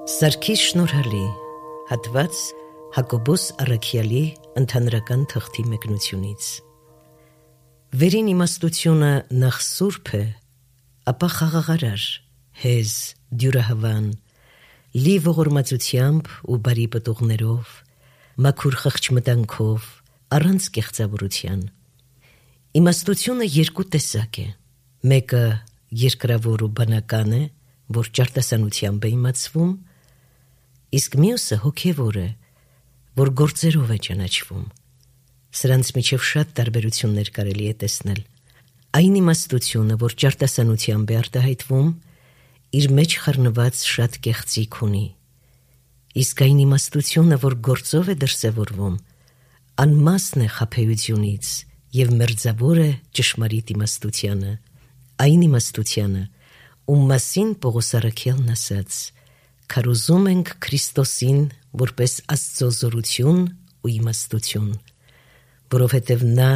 Սարգիս շնորհալի, հատված Հակոբոս Առաքյալի ընդհանրական թղթի մեկնությունից։ Վերին իմաստությունը նախ սուրբ է, ապա խաղաղարար, հեզ, դյուրահավան, լի ողորմածությամբ ու բարի պտուղներով, մաքուր խղճմտանքով, առանց կեղծավորության։ Իմաստությունը երկու տեսակ է, մեկը երկրավոր ու բանական է, որ ճարտասանությամբ է իմացվում, իսկ մյուսը հոգևոր է, որ գործերով է ճանաչվում։ Սրանց միջև շատ տարբերություններ կարելի է տեսնել։ Այն իմաստությունը, որ ճարտասանությամբ է արտահայտվում, իր մեջ խառնված շատ կեղծիք ունի, իսկ այն իմաստությունը, որ գործով է դրսևորվում, անմասն է խաբեությունից և մերձավոր է ճշմարիտ իմաստությանը, այն իմաստությանը, ում մասին Պողոս Առաքյալն ասաց. «Քարոզում ենք Քրիստոսին որպես Աստծո զորություն ու իմաստություն», որովհետև նա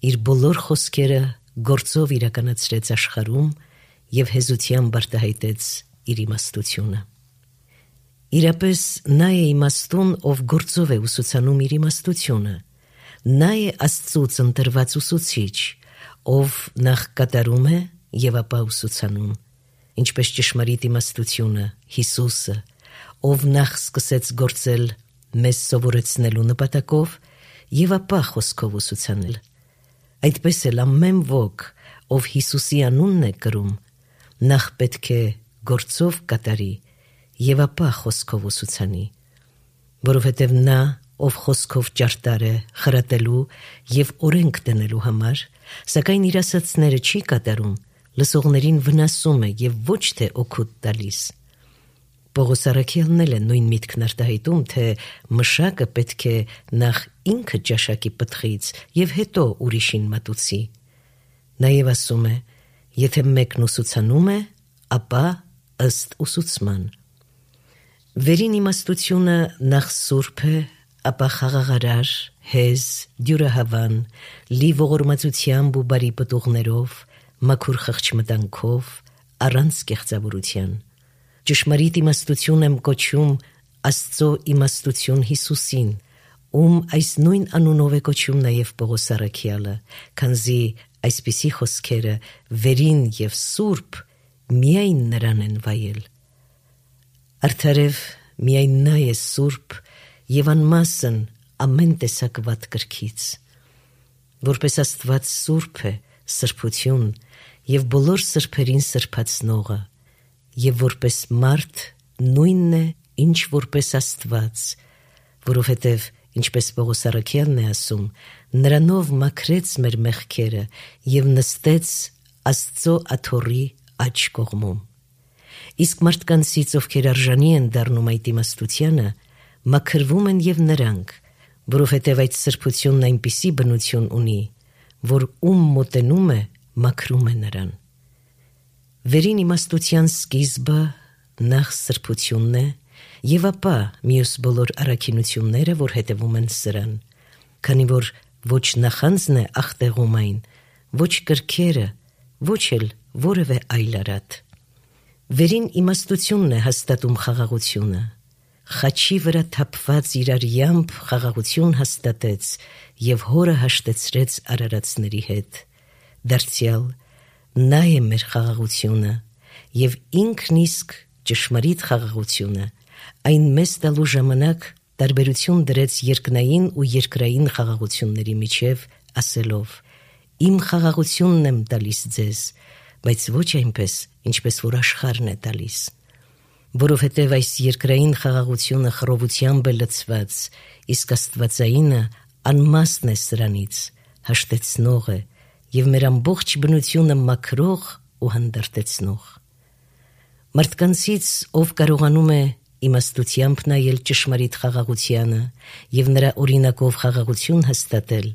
իր բոլոր խոսքերը գործով իրականացրեց աշխարհում և հեզությամբ արտահայտեց իր իմաստությունը։ Իրապես նա է իմաստուն, ով գործով է ուսուցանում իր իմաստությունը, նա է Աստծուց ընտրված ուսուցիչ, ով նախ կատարում է և ապա ուսուցանում, ինչպես ճշմարիտ իմաստությունը, Հիսուսը, ով նախ սկսեց գործել մեզ սովորեցնելու նպատակով և ապա խոսքով ուսուցանել։ Այդպես էլ ամեն ոք, ով Հիսուսի անունն է կրում, նախ պետք է գործով կատարի և ապա խոսքով ուսուցանի, որովհետև նա, ով խոսքով ճարտար է խրատելու և օրենք դնելու համար, սակայն իր ասածները չի կատարում, լսողներին վնասում է և ոչ թե օգուտ տալիս։ Պողոս Առաքյալն էլ է նույն միտքն արտահայտում, թե մշակը պետք է նախ ինքը ճաշակի պտղից և հետո ուրիշին մատուցի։ Նաև ասում է, եթե մեկն ուսուցանում է, ապա ըստ ուսուցման։ Վերին իմաստությունը նախ սուրբ է, ապա խաղաղարար, հեզ, դյուրահավան, լի ողորմածությամբ ու բարի պտուղներով, մաքուր խղճմտանքով, առանց կեղծավորության։ Ճշմարիտ իմաստություն եմ կոչում Աստծո իմաստություն Հիսուսին, ում այս նույն անունով է կոչում նաև Պողոս Առաքյալը, քանզի այսպիսի խոսքերը վերին և սուրբ միայն նրան են վայել։ Արդարև միայն նա է սուրբ և անմասն ամեն տեսակ վատ կրքից։ Որպես Աստված սուրբ է, սրբություն և բոլոր սրբերին սրբացնողը, և որպես մարդ նույնն է, ինչ որպես Աստված, որովհետև, ինչպես Պողոս Առաքյալն է ասում, նրանով մաքրեց մեր մեղքերը և նստեց Աստծո աթոռի աջ կողմում։ Իսկ մարդկանցից, ովքեր արժանի են դառնում այդ իմաստությանը, մաքրվում են և նրանք, որովհետև այդ սրբությունն այնպիսի բնություն ունի, որ ում մոտենում է, մաքրում է նրան։ Վերին իմաստության սկիզբը նախ սրբությունն է և ապա մյուս բոլոր առաքինությունները, որ հետևում են սրան, քանի որ ոչ նախանձն է ախտեղում այն, ոչ կրքերը, ոչ էլ որևէ այլ արատ։ Վերին իմաստությունն է հաստատում խաղաղությունը, խաչի վրա թափված իր արյամբ խաղաղություն հաստատեց և հորը հաշտեցրեց արարածների հետ։ Դարձյալ նա է մեր խաղաղությունը և ինքն իսկ ճշմարիտ խաղաղությունը, այն մեզ տալու ժամանակ տարբերություն դրեց երկնային ու երկրային խաղաղությունների միջև, ասելով. «Իմ խաղաղությունն եմ տալիս ձեզ, բայց ոչ այնպես, ինչպես որ աշխարհն է տալիս»։ Որովհետև այս երկրային խաղաղությունը խռովությամբ է լցված, իսկ աստվածայինը անմասն է սրանից, հաշտեցնող է և մեր ամբողջ բնությունը մաքրող ու հանդարտեցնող։ Մարդկանցից, ով կարողանում է իմաստությամբ նայել ճշմարիտ խաղաղությանը և նրա օրինակով խաղաղություն հաստատել,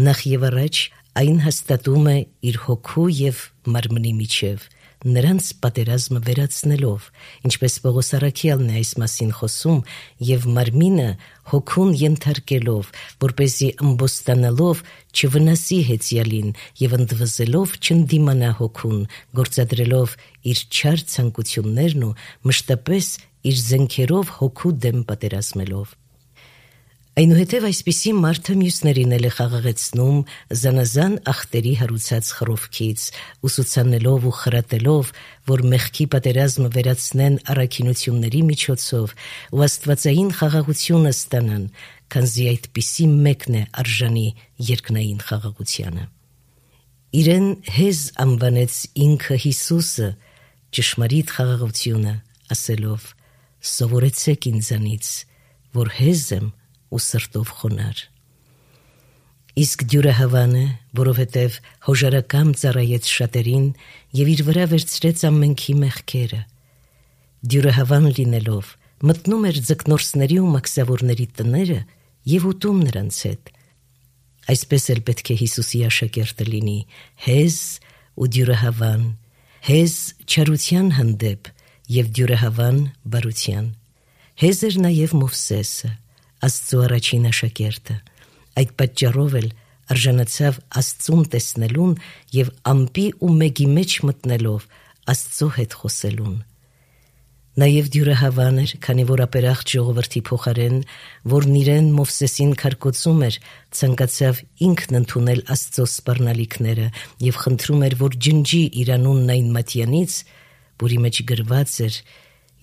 նախ և առաջ այն հաստատում է իր հոգու և մարմնի միջև, նրանց պատերազմը վերացնելով, ինչպես Պողոս Առաքյալն է այս մասին խոսում, և մարմինը հոգուն ենթարկելով, որպեսզի ըմբոստանալով չվնասի հեծյալին և ընդվզելով չընդդիմանա հոգուն, գործադրելով իր չար ցանկություններն ու մշտապես իր զենքերով հոգու դեմ պատերազմելով։ Այնուհետև այսպիսի մարդը մյուսներին էլ է խաղաղեցնում զանազան ախտերի հարուցած խռովքից, ուսուցանելով ու խրատելով, որ մեղքի պատերազմը վերացնեն առաքինությունների միջոցով ու աստվածային խաղաղությունը ստանան, քանզի այդպիսի մեկն է արժանի երկնային խաղաղությանը։ Իրեն հեզ անվանեց ինքը Հիսուսը, ճշմարիտ խաղաղությունը, ասելով. «Սովորեցեք ինձանից, որ հեզ եմ ու սրտով խոնար»։ Իսկ դյուրահավան է, որովհետև հոժարակամ ծառայեց շատերին և իր վրա վերցրեց ամենքի մեղքերը։ Դյուրահավան լինելով, մտնում էր ձկնորսների ու մաքսավորների տները և ուտում նրանց հետ։ Այսպես էլ պետք է Հիսուսի աշակերտը լինի, հեզ ու դյուրահավան, հեզ չարության հանդեպ և դյուրահավան բարության։ Հեզ էր նաև Մովսեսը, Աստծու առաջին աշակերտը, այդ պատճառով էլ արժանացավ Աստծուն տեսնելուն և ամպի ու մեգի մեջ մտնելով Աստծո հետ խոսելուն։ Նաև դյուրահավան էր, քանի որ ապերախտ ժողովրդի փոխարեն, որն իրեն Մովսեսին քարկոծում էր, ցանկացավ ինքն ընդունել Աստծո սպառնալիքները և խնդրում էր, որ ջնջի իր անունն այն մատյանից, որի մեջ գրված էր,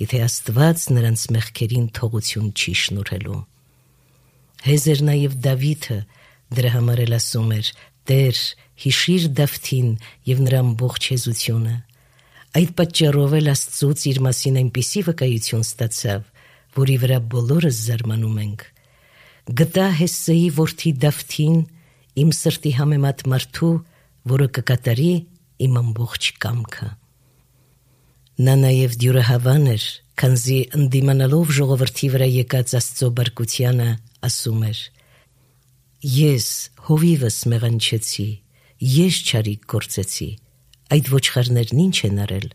եթե Աստված նրանց մեղքերին թողություն չի շնորհելու։ Հեզ էր նաև Դավիթը, դրա համար էլ ասում էր. «Տեր, հիշիր Դավթին և նրա ամբողջ հեզությունը»։ Այդ պատճառով էլ Աստծուց իր մասին այնպիսի վկայություն ստացավ, որի վրա բոլորս զարմանում ենք. «Գտա Հեսեի որդի Դավթին, իմ սրտի համեմատ մարդու, որը կկատարի իմ ամբողջ կամքը»։ Նա նաև դյուրահավան էր, քանզի ընդդիմանալով ժողովրդի վրա եկած Աստծո բարկությանը, ասում էր. «Ես հովիվս մեղանչեցի, ես չարիք գործեցի, այդ ոչխարներն ինչ են արել,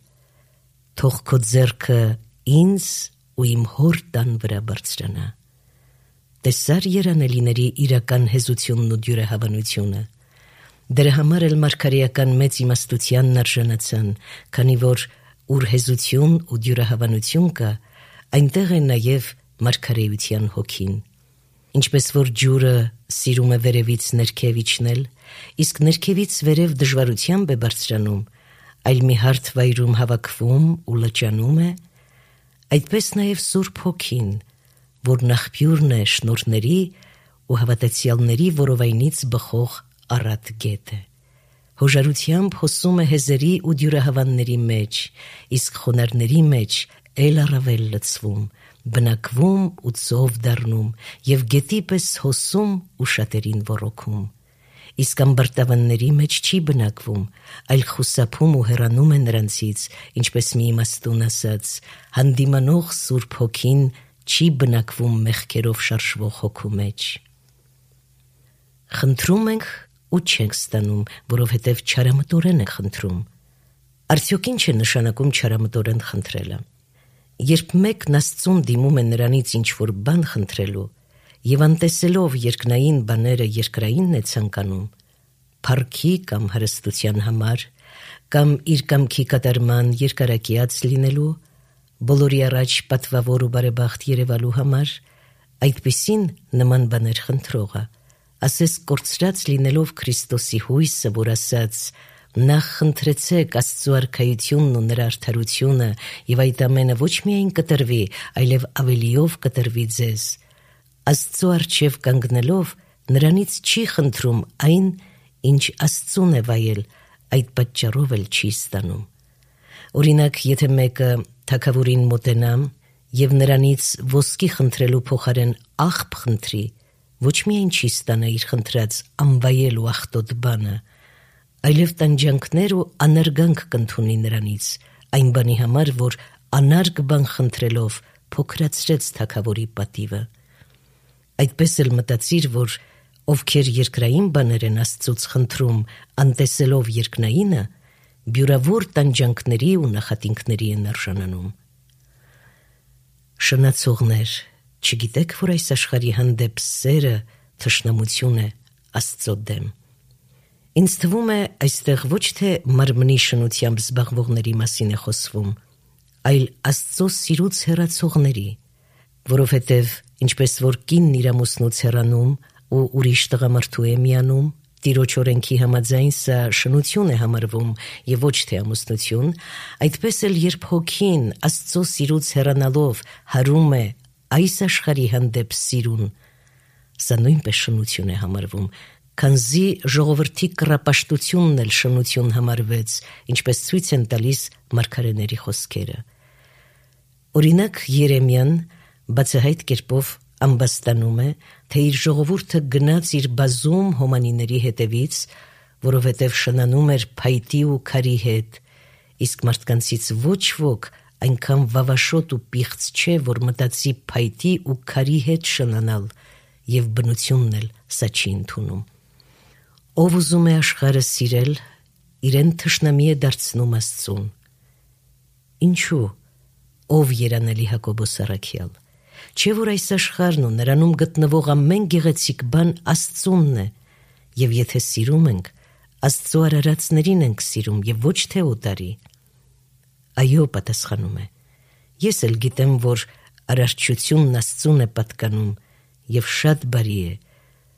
թող քո ձեռքը ինձ ու իմ հոր տան վրա բարձրանա»։ Տեսար երանելիների իրական հեզությունն ու դյուրահավանությունը։ Դրա համար էլ մարգարեական մեծ իմաստությանն արժանացան, քանի որ ուր հեզություն ու դյուրահավանություն կա, այնտեղ է նաև մարգարեության հոգին։ Ինչպես որ ջուրը սիրում է վերևից ներքև իջնել, իսկ ներքևից վերև դժվարությամբ է բարձրանում, այլ մի հարթ վայրում հավաքվում ու լճանում է, այդպես նաև Սուրբ Հոգին, որն աղբյուրն է շնորհների ու հավատացյալների որովայնից բխող առատ գետ է։ Հոժարությամբ հոսում է հեզերի ու դյուրահավանների մեջ, իսկ խոնարհների մեջ էլ առավել լցվում, բնակվում ու ծով դառնում և գետի պես հոսում ու շատերին ոռոգում։ Իսկ ամբարտավանների մեջ չի բնակվում, այլ խուսափում ու հեռանում է նրանցից, ինչպես մի իմաստուն ասաց. «Հանդիմանող Սուրբ Հոգին չի բնակվում մեղքերով շարժվող հոգու մեջ»։ Խնդրում ենք ու չենք ստանում, որովհետև չարամտորեն ենք խնդրում։ Արդյոք ինչ է նշանակում չարամտորեն խնդրելը։ Երբ մեկն Աստծուն դիմում է նրանից ինչ-որ բան խնդրելու և անտեսելով երկնային բաները երկրայինն է ցանկանում, փառքի կամ հարստության համար, կամ իր կամքի կատարման երկարակյաց լինելու, բոլորի առաջ պատվավոր ու բարեբախտ երևալու համար, այդպիսին նման բաներ խնդրողը, ասես կորցրած լինելով Քրիստոսի հույսը, որ ասաց. «Նախ խնդրեցեք Աստծու արքայությունն ու նրա արդարությունը, և այդ ամենը ոչ միայն կտրվի, այլև ավելիով կտրվի ձեզ», Աստծու առջև կանգնելով նրանից չի խնդրում այն, ինչ Աստծուն է վայել, այդ պատճառով էլ չի ստանում։ Օրինակ, եթե մեկը թագավորին մոտենա և նրանից ոսկի խնդրելու փոխարեն աղբ խնդրի, ոչ միայն չի ստանա իր խնդրած անվայել ու աղտոտ բանը, այլև տանջանքներ ու անարգանք կընդունի նրանից, այն բանի համար, որ անարգ բան խնդրելով փոքրացրեց թագավորի պատիվը։ Այդպես էլ մտածիր, որ ովքեր երկրային բաներ են Աստծուց խնդրում, անտեսելով երկնայինը, բյուրավոր տանջանքների ու նախատինքների են արժանանում։ Շնացողներ, չգիտեք, որ այս աշխարհի հանդեպ սերը թշնամություն է Աստծո դեմ։ Ինձ թվում է, այստեղ ոչ թե մարմնի շնությամբ զբաղվողների մասին է խոսվում, այլ Աստծո սիրուց հեռացողների, որովհետև ինչպես որ կինն իր ամուսնուց հեռանում ու ուրիշ տղամարդու է միանում, Տիրոջ օրենքի համաձայն սա շնություն է համարվում եւ ոչ թե ամուսնություն, այդպես էլ երբ հոգին Աստծո սիրուց հեռանալով հարում է այս աշխարհի հանդեպ սիրուն, սա նույնպես շնություն է համարվում, քանզի ժողովրդի կռապաշտությունն էլ շնություն համարվեց, ինչպես ցույց են տալիս մարգարեների խոսքերը։ Օրինակ Երեմիան բացահայտ կերպով ամբաստանում է, թե իր ժողովուրդը գնաց իր բազում հոմանիների հետևից, որովհետև շնանում էր փայտի ու քարի հետ, իսկ մարդկանցից ոչ ոք այնքան վավաշոտ ու պիղծ չէ, որ մտածի փայտի ու քարի հետ շնանալ, եւ բնությունն էլ սա չի ընդունում։ Ով ուզում է աշխարհը սիրել, իրեն թշնամի է դարձնում Աստծուն։ Ինչու՞, ով երանելի Հակոբոս առաքյալ, չէ՞ որ այս աշխարհն ու նրանում գտնվող ամեն գեղեցիկ բան Աստծունն է, եւ եթե սիրում ենք, Աստծո արարածներին ենք սիրում եւ ոչ թե օտարի։ Այո, պատասխանում է, ես էլ գիտեմ, որ արարչությունն Աստծուն է պատկանում եւ շատ բարի է,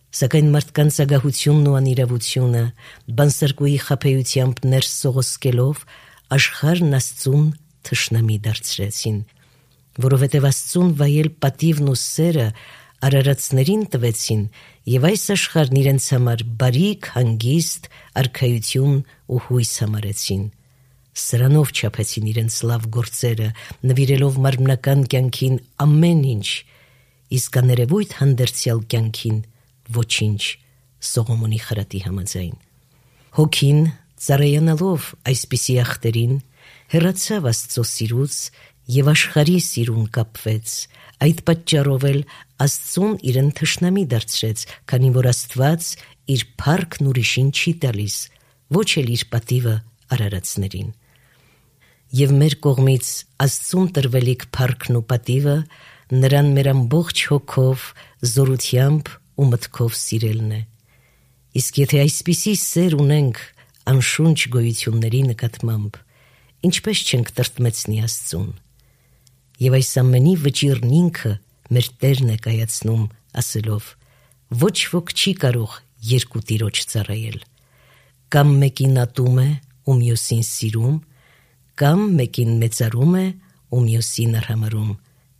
սակայն մարդկանց ագահությունն ու անիրավությունը բանսարկուի խաբեությամբ ներս սողոսկելով աշխարհն Աստծուն թշնամի դարձրեցին, որովհետև Աստծուն վայել պատիվն ու սերը արարածներին տվեցին եւ այս աշխարհն իրենց համար բարիք, հանգիստ, արքայություն ու հույս համարեցին։ Սրանով չափեցին իրենց լավ գործերը, նվիրելով մարմնական կյանքին ամեն ինչ, իսկ աներևույթ հանդերձյալ կյանքին ոչինչ, Սողոմոնի խրատի համաձայն։ Հոգին, ծառայանալով այսպիսի ախտերին, հեռացավ Աստծո սիրուց եւ աշխարհի սիրուն կապվեց, այդ պատճառով էլ Աստծուն իրեն թշնամի դարձրեց, քանի որ Աստված իր փառքն ուրիշին չի տալիս, ոչ էլ իր պատիվը արարածներին։ Եվ մեր կողմից Աստծուն տրվելիք փառքն ու պատիվը նրան մեր ամբողջ հոգով, զորությամբ ու մտքով սիրելն է։ Իսկ եթե այսպիսի սեր ունենք անշունչ գոյությունների նկատմամբ, ինչպես չենք տրտմեցնի Աստծուն։ Եվ այս ամենի վճիռն ինքը մեր Տերն է կայացնում, ասելով. ոչ ոք չի կարող երկու Տիրոջ ծառայել, կամ մեկին ատում է ու մյուսին սիրում, կամ մեկին մեծարում է ու մյուսին արհամարհում,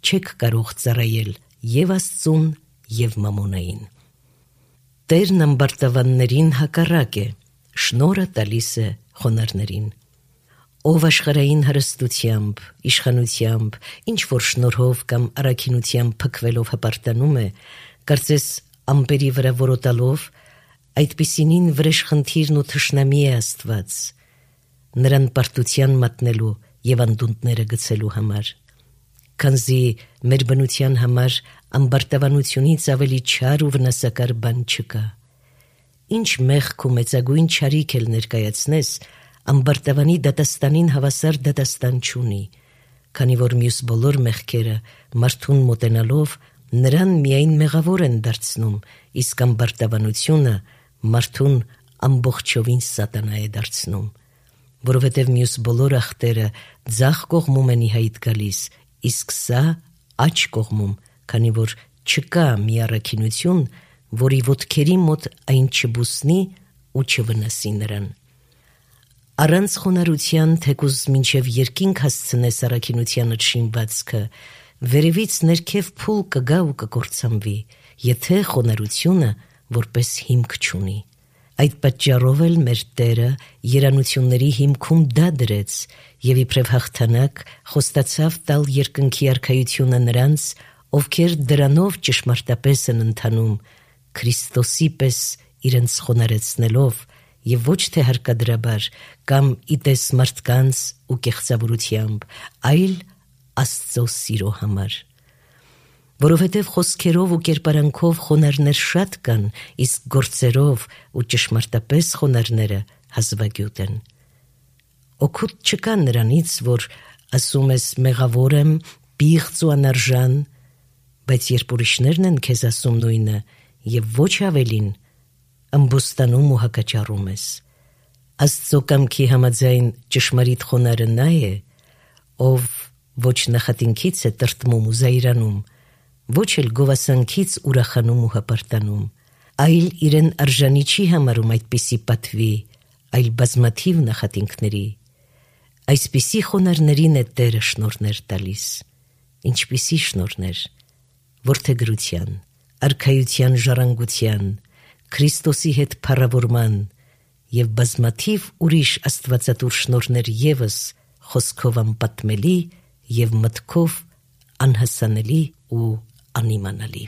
չեք կարող ծառայել եւ Աստծուն եւ մամոնային։ Տերն ամբարտավաններին հակառակ է, շնորհը տալիս է խոնարհներին։ Ով աշխարհային հարստությամբ, իշխանությամբ, ինչ որ շնորհով կամ առաքինությամբ փքվելով հպարտանում է, կարծես ամպերի վրա որոտալով, այդպիսինին վրեժխնդիրն ու թշնամի է Աստված, նրան պարտության մատնելու եւ անդունդները գցելու համար, քանզի մեր բնության համար ամբարտավանությունից ավելի չար ու վնասակար բան չկա։ Ինչ մեղք ու մեծագույն չարիք էլ ներկայացնես, ամբարտավանի դատաստանին հավասար դատաստան չունի, քանի որ մյուս բոլոր մեղքերը մարդուն մոտենալով նրան միայն մեղավոր են դարձնում, իսկ ամբարտավանությունը մարդուն ամբողջովին սատանա է դարձնում, որովհետև մյուս բոլոր ախտերը ձախ կողմում են ի հայտ գալիս, իսկ սա աջ կողմում, քանի որ չկա մի առաքինություն, որի ոտքերի մոտ այն չբուսնի ու չվնասի նրան։ Առանց խոնարհության թեկուզ մինչև երկինք հասցնես առաքինությանդ շինվածքը, վերևից ներքև փուլ կգա ու կկործանվի, եթե խոնարհությունը որպես հիմք չունի։ Այդ պատճառով էլ մեր Տերը երանությունների հիմքում դա դրեց եւ իբրև հաղթանակ խոստացավ տալ երկնքի արքայությունը նրանց, ովքեր դրանով ճշմարտապես են ընթանում, Քրիստոսի պես իրենց խոնարհեցնելով եւ ոչ թե հարկադրաբար կամ իտես մարդկանց ու կեղծավորությամբ, այլ Աստծո սիրո համար։ Որովհետև խոսքերով ու կերպարանքով խոնարհներ շատ կան, իսկ գործերով ու ճշմարտապես խոնարհները հազվագյուտ են։ Օգուտ չկա նրանից, որ ասում ես մեղավոր եմ, պիղծ ու անարժան, բայց երբ ուրիշներն են քեզ ասում նույնը եւ ոչ ավելին, ամբոստանում ու հակաճառում ես։ Աստծո կամքի համաձայն ճշմարիտ խոնարհը նա է, ով ոչ նախատինքից է տրտմում ու զայրանում, ոչ էլ գովասանքից ուրախանում ու հպարտանում, այլ իրեն արժանի չի համարում այդպիսի պատվի, այլ բազմաթիվ նախատինքների։ Այսպիսի խոնարհներին է Տերը շնորհներ տալիս։ Ինչպիսի շնորհներ, որդեգրության, արքայության ժառանգության, Քրիստոսի հետ փառավորման և բազմաթիվ ուրիշ աստվածատուր շնորհներ ևս խոսքով անպատմելի և մտքով անհասանելի ու անիմանալի։